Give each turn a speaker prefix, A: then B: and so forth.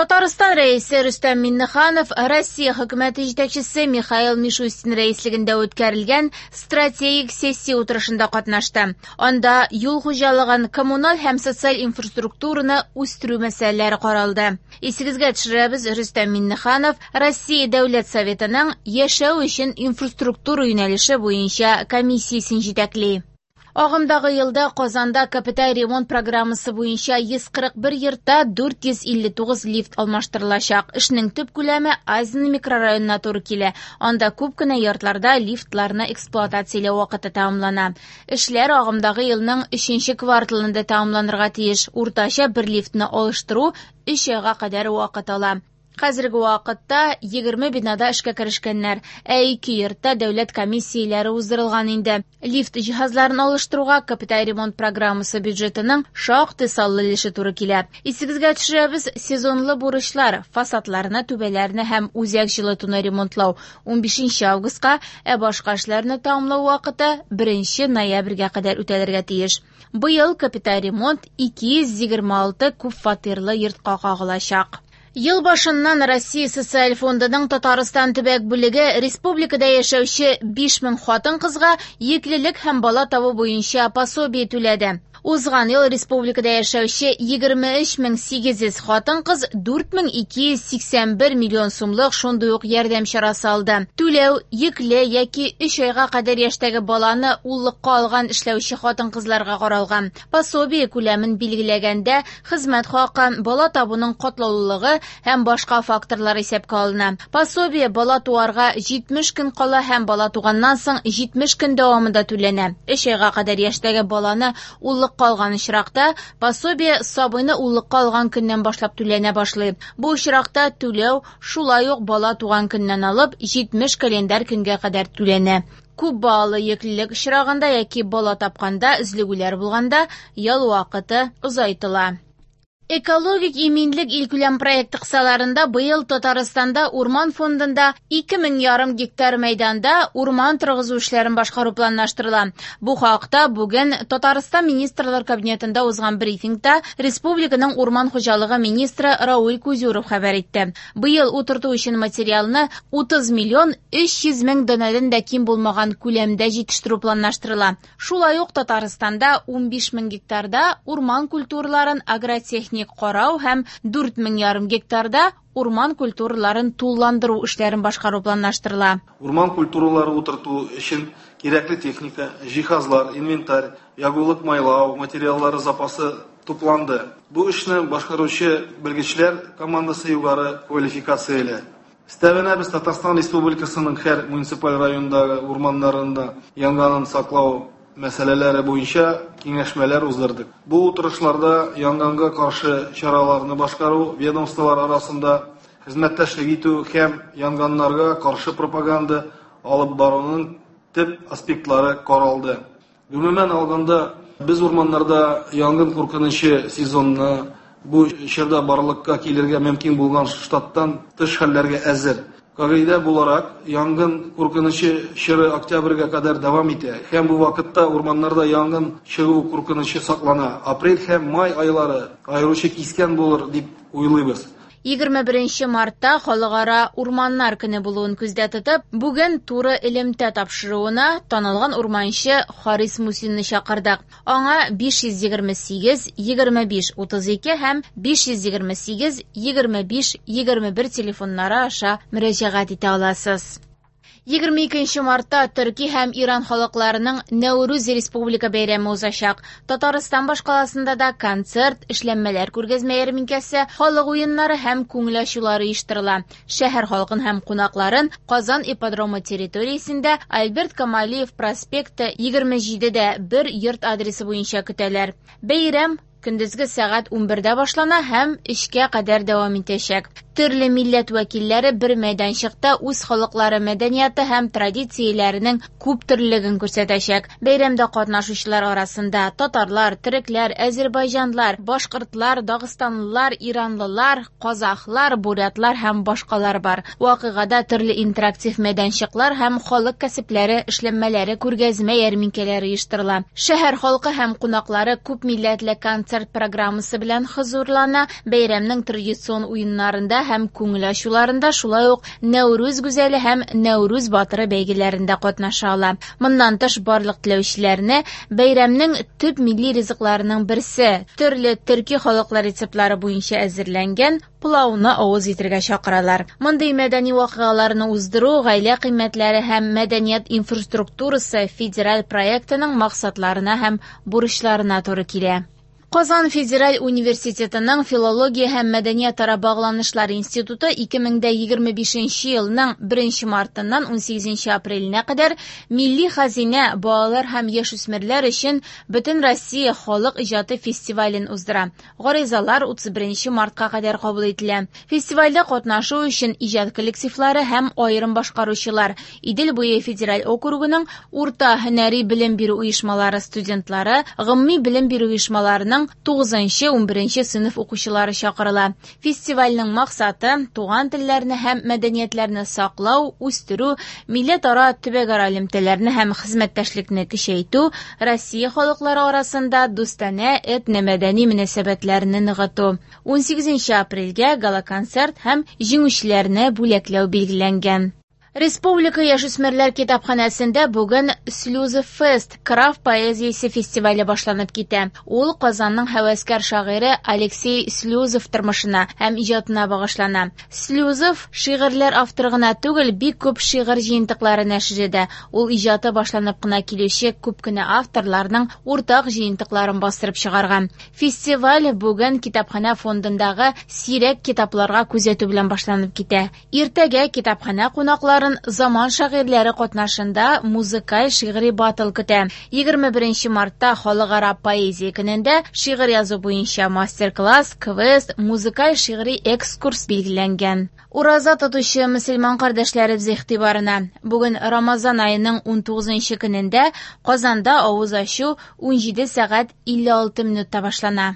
A: Татарстан Рәисе Рөстәм Миңнеханов Россия хөкүмәте җитәкчесе Михаил Мишустин рәислегендә үткәрелгән стратегик сессия утырышында катнашты. Анда юл хуҗалыгын, коммуналь һәм социаль инфраструктураны үстерү мәсьәләләре каралды. Исегезгә төшерәбез, Рөстәм Миңнеханов Россия Дәүләт Советының яшәү өчен инфраструктура юнәлеше буенча комиссиясен җитәкли. Агымдагы елда Казанда капиталь ремонт программасы буенча 141 йортта 459 лифт алмаштырылачак. Эшнең төп күләме Азин микрорайонына туры килә. Анда күп кенә йортларда лифтларны эксплуатацияләү вакыты тәмамлана. Эшләр агымдагы елның 3 кварталында тәмамланырга тиеш. Уртача бер лифтны алыштыру 3 айга кадәр вакыт ала. Хәзерге вакытта 20 бинада эшкә керешкәннәр, ә 2 йортта дәүләт комиссияләре уздырылган инде. Лифт җиһазларын алыштыруга капиталь ремонт программасы бюджетының шактый саллы өлеше туры килә. Исегезгә төшерәбез, сезонлы бурычлар, фасадларны, түбәләрне һәм үзәк җылытуны ремонтлау 15 августка, ә башка эшләрне тәмамлау вакыты 1 ноябрьгә кадәр үтәлергә тиеш. Быел капиталь ремонт 226 күп фатирлы йортка кагылачак. Ел башыннан Россия Социаль фондының Татарстан төбәк бүлеге республикада яшәүче 5000 хатын-кызга йөклелек һәм бала табу буенча пособие түләде. Узган ел республикада яшәүче 23800 хатын-кыз 4281 миллион сумлык шундый ук ярдәм чарасы алды. Түләү йөкле яки 3 айга кадәр яшьтәге баланы уллыкка алган эшләүче хатын-кызларга каралган. Пособие күләмен билгеләгәндә хезмәт хакы, бала табуның катлаулылыгы һәм башка факторлар исәпкә алына. Пособие бала туарга 70 көн кала һәм бала туганнан соң 70 көн дәвамында түләнә. 3 айга кадәр яшьтәге баланы уллыкка алган очракта пособие сабыйны уллыкка алган көннән башлап түләнә башлый. Бу очракта түләү шулай ук бала туган көннән алып 70 календарь көнгә кадәр түләнә. Күп балалы йөклелек очрагында яки бала тапканда өзлегүләр булганда ял вакыты озайтыла. Экологик иминлек илкүләм проекты кысаларында быел Татарстанда урман фондында 2500 гектар мәйданда урман торгызу эшләрен башкару планлаштырыла. Бу хакта бүген Татарстан Министрлар Кабинетында узган брифингта республиканың урман хуҗалыгы министры Рауль Кузюров хәбәр итте. Быел утырту өчен материалны 30 миллион 300 мең данәдән дә ким булмаган күләмдә җитештерү планлаштырыла. Шулай ук Татарстанда 15 мең гектарда урман культураларын агротехник карау һәм 4500 гектарда урман культураларын тулыландыру эшләрен башкару планлаштырыла.
B: Урман культуралары утырту өчен кирәкле техника, җиһазлар, инвентарь, ягулык майлау материаллары запасы тупланды. Бу эшне башкаручы белгечләр командасы югары квалификацияле. Өстәвенә без Татарстан Республикасының һәр муниципаль районындагы урманнарында янгыннан саклау мәсьәләләре буенча киңәшмәләр уздырдык. Бу утырышларда янгынга каршы чараларны башкару, ведомстволар арасында хезмәттәшлек итү һәм янгыннарга каршы пропаганда алып баруның төп аспектлары каралды. Гомумән алганда, без урманнарда янгын куркынычы сезонына бу чорда барлыкка килергә мөмкин булган штаттан тыш хәлләргә әзер. Кагыйдә буларак, янгын куркынычы чоры октябрьгә кадәр дәвам итә. Һәм бу вакытта урманнарда янгын чыгу куркынычы саклана. Апрель һәм май айлары аеруча кискен булыр дип уйлыйбыз.
A: 21 мартта Халыкара урманнар көне булуын күздә тотып, бүген туры элемтә тапшыруына танылган урманчы Харис Мусинны чакырдык. Аңа 528 25 32 һәм 528 25 21 телефоннары аша мөрәҗәгать итә аласыз. 22 мартта Төрки һәм Иран халыкларының Нәүрүз республика бәйрәме узачак. Татарстан башкаласында да концерт, эшләнмәләр күргәзмә ярминкәсе, халык уеннары һәм күңел ачулары оештырыла. Шәһәр халкын һәм кунакларын Казан ипподромы территориясендә Альберт Камалиев проспекты 27-дә 1 йорт адресы буенча көтәләр. Бәйрәм көндезге сәгать 11-дә башлана һәм 3-кә кадәр дәвам итәчәк. Төрле милләт вәкилләре бер мәйданчыкта үз халыклары мәдәнияты һәм традицияләренең күптөрлелеген күрсәтәчәк. Бәйрәмдә катнашучылар арасында татарлар, төрекләр, әзербайҗанлар, башкортлар, дагыстанлылар, иранлылар, казахлар, бурятлар һәм башкалар бар. Вакыйгада төрле интерактив мәйданчыклар һәм халык кәсепләре эшләнмәләре күргәзмә ярминкәләре оештырыла. Шәһәр халкы һәм кунаклары күп милләтле концерт программасы белән хозурлана. Бәйрәмнең традицион уеннарында һәм күңел ачуларында, шулай ук Нәүрүз гүзәле һәм Нәүрүз батыры бәйгеләрендә катнаша ала. Моннан тыш, барлык теләүчеләрне бәйрәмнең төп милли ризыкларының берсе, төрле төрки халыклар рецептлары буенча әзерләнгән пылауны авыз итәргә чакыралар. Мондый мәдәни вакыйгаларны уздыру гаилә кыйммәтләре һәм мәдәният инфраструктурасы федераль проектының максатларына һәм бурычларына туры килә. Казан федераль университетының Филология һәм мәдәниятара багланышлар институты 2025 елның 1 мартыннан 18 апреленә кадәр Милли хәзинә балалар һәм яшүсмерләр өчен Бөтенроссия халык иҗаты фестивален уздыра. Гаризалар 31 мартка кадәр кабул ителә. Фестивальдә катнашу өчен иҗат коллективлары һәм аерым башкаручылар, Идел буе федераль округының урта һөнәри белем бирү оешмалары студентлары, гомуми белем бирү оешмаларының 9-11 сыйныф укучылары чакырыла. Фестивальнең максаты туган телләрне һәм мәдәниятләрне саклау, үстерү, милләтара, төбәкара элемтәләрне һәм хезмәттәшлекне көчәйтү, Россия халыклары арасында дустанә этномәдәни мөнәсәбәтләрне ныгыту. 18 апрельгә гала-концерт һәм җиңүчеләрне бүләкләү билгеләнгән. Республика яшүсмерләр китапханәсендә бүген Слюзов Фест крафт поэзиясе фестивале башланып китә. Ул Казанның һәвәскәр шагыйре Алексей Слюзов тормышына һәм иҗатына багышлана. Слюзов шигырьләр авторы гына түгел, бик күп шигырь җыентыклары нәшер итә. Ул иҗаты башланып кына килүче күп кенә авторларның уртак җыентыкларын бастырып чыгарган. Фестиваль бүген китапханә фондындагы сирәк китапларга күзәтү белән башланып китә. Иртәгә китапханә кунакларын заман шагыйрьләре катнашында музыкаль шигъри батл көтә. 21 мартта халыкара поэзия көнендә шигырь язу буенча мастер-класс, квест, музыкаль шигъри экскурс билгеләнгән. Ураза тотучы мөселман кардәшләребез игътибарына. Бүген Рамазан аеның 19 көнендә Казанда авыз ачу 17 сәгать 56 минутта башлана.